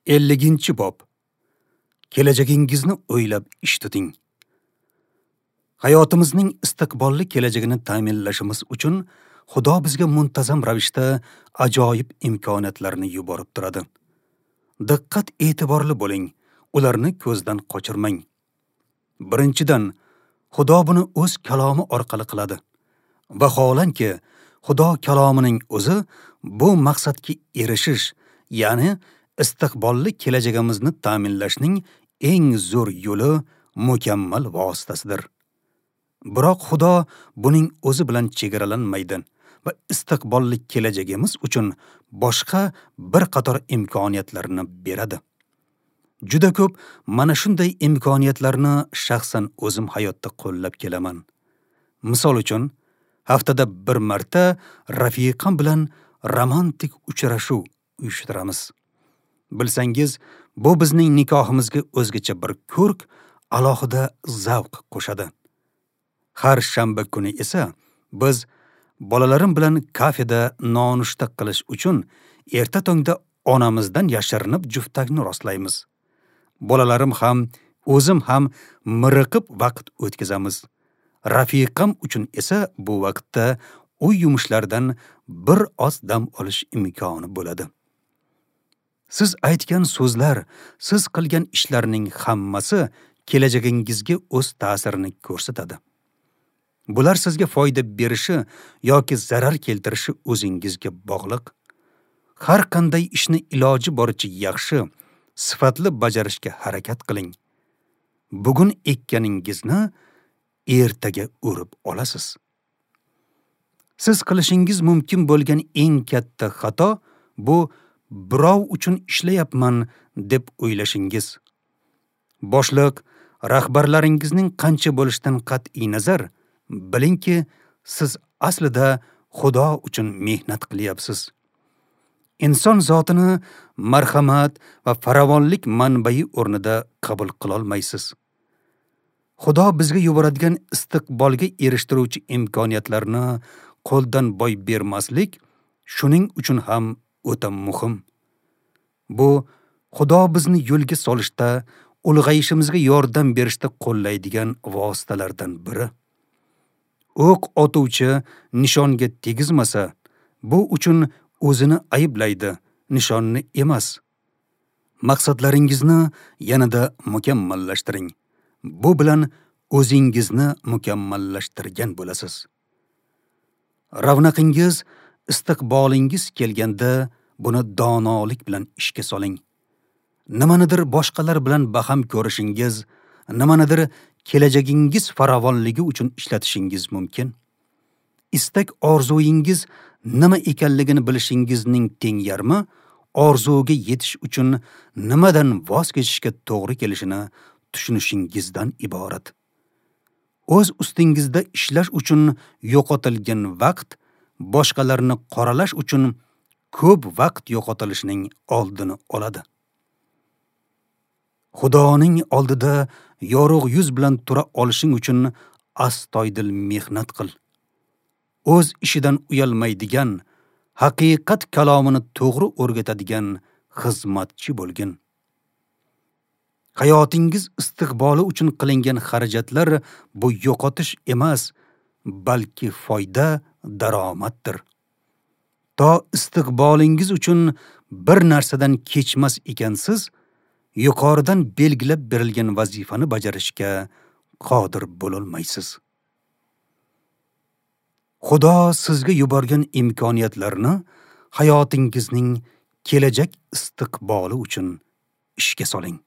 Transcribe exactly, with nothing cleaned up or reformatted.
Elliginchi bob. Kelajagingizni o'ylab ish tuting. Hayotimizning istiqbolli kelajagini ta'minlashimiz uchun Xudo bizga muntazam ravishda ajoyib imkoniyatlarni yuborib turadi. Diqqat e'tiborli bo'ling, ularni ko'zdan qochirmang. Birinchidan, Xudo buni o'z kalomi orqali qiladi. Vaholanki, Xudo kalomining o'zi bu maqsadga erishish, ya'ni istiqbolli kelajagimizni ta'minlashning eng zo'r yo'li, mukammal vositasidir. Biroq Xudo buning o'zi bilan chegaralanmaydi va istiqbolli kelajagimiz uchun boshqa bir qator imkoniyatlarni beradi. Juda ko'p mana shunday imkoniyatlarni shaxsan o'zim hayotda qo'llab kelaman. Misol uchun, haftada bir marta rafiqam bilan romantik uchrashuv uyushtiramiz. Bilsangiz, bu bizning nikohimizga o'zgacha bir ko'rk, alohida zavq qo'shadi. Har shanba kuni esa biz bolalarim bilan kafeda nonushta qilish uchun erta tongda onamizdan yashirinib juftakni rostlaymiz. Bolalarim ham, o'zim ham miriqib vaqt o'tkazamiz. Rafiqam uchun esa bu vaqtda uy yumushlaridan bir oz dam olish imkoni bo'ladi. Siz aytgan so'zlar, siz qilgan ishlarning hammasi kelajagingizga o'z ta'sirini ko'rsatadi. Bular sizga foyda berishi yoki zarar keltirishi o'zingizga bog'liq. Har qanday ishni iloji boricha yaxshi, sifatli bajarishga harakat qiling. Bugun ekkaningizni ertaga o'rib olasiz. Siz qilishingiz mumkin bo'lgan eng katta xato bu birov uchun ishlayapman deb o'ylashingiz. Boshliq, rahbarlaringizning qancha bo'lishidan qat'iy nazar, bilingki, siz aslida Xudo uchun mehnat qilyapsiz. Inson zotini marhamat va farovonlik manbai o'rnida qabul qila olmaysiz. Xudo bizga yuboradigan istiqbolga erishtiruvchi imkoniyatlarni qo'ldan boy bermaslik shuning uchun ham o'ta muhim. Bu Xudo bizni yo'lga solishda, ulg'ayishimizga yordam berishda qo'llaydigan vositalardan biri. O'q otuvchi nishonga tegizmasa, bu uchun o'zini ayblaydi, nishonni emas. Maqsadlaringizni yanada mukammallashtiring. Bu bilan o'zingizni mukammallashtirgan bo'lasiz. Ravnaqingiz, istiqbolingiz kelganda buni donolik bilan ishga soling. Nimanidir boshqalar bilan baham ko'rishingiz, nimanidir kelajagingiz farovonligi uchun ishlatishingiz mumkin. Istak orzuyingiz nima ekanligini bilishingizning teng yarmi orzuga yetish uchun nimadan voz kechishga to'g'ri kelishini tushunishingizdan iborat. O'z ustingizda ishlash uchun yo'qotilgan vaqt boshqalarni qoralash uchun ko'p vaqt yo'qotilishining oldini oladi. Xudoning oldida yorug' yuz bilan tura olishing uchun astoydil mehnat qil. O'z ishidan uyalmaydigan, haqiqat kalomini to'g'ri o'rgatadigan xizmatchi bo'lgin. Hayotingiz istiqboli uchun qilingan xarajatlar bu yo'qotish emas, balki foyda, daromaddir. To istiqbolingiz uchun bir narsadan kechmas ekansiz, yuqoridan belgilab berilgan vazifani bajarishga qodir bo'lolmaysiz. Xudo sizga yuborgan imkoniyatlarni hayotingizning kelajak istiqboli uchun ishga soling.